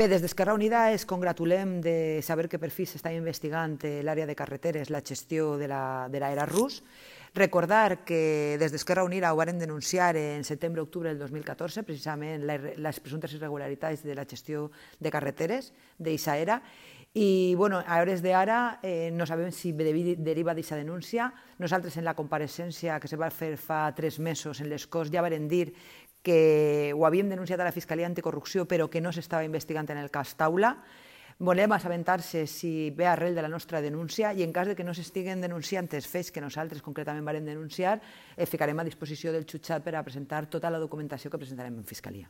Bé, des d'Esquerra Unida ens congratulem de saber que per fi s'està investigant l'àrea de carreteres, la gestió de l'era rus. Recordar que des d'Esquerra Unida ho varen denunciar en setembre-octubre del 2014, precisament les presumptes irregularitats de la gestió de carreteres d'aquesta era. I a hores d'ara no sabem si deriva d'aquesta denúncia. Nosaltres en la compareixença que se va fer fa 3 mesos en les Corts ja varen dir que ho havíem denunciat a la Fiscalia Anticorrupció però que no s'estava investigant en el cas Taula. Volem assabentar-se si ve arrel de la nostra denúncia i en cas que no s'estiguen denunciant els fets que nosaltres concretament vàrem denunciar, ficarem a disposició del jutjat per a presentar tota la documentació que presentarem en Fiscalia.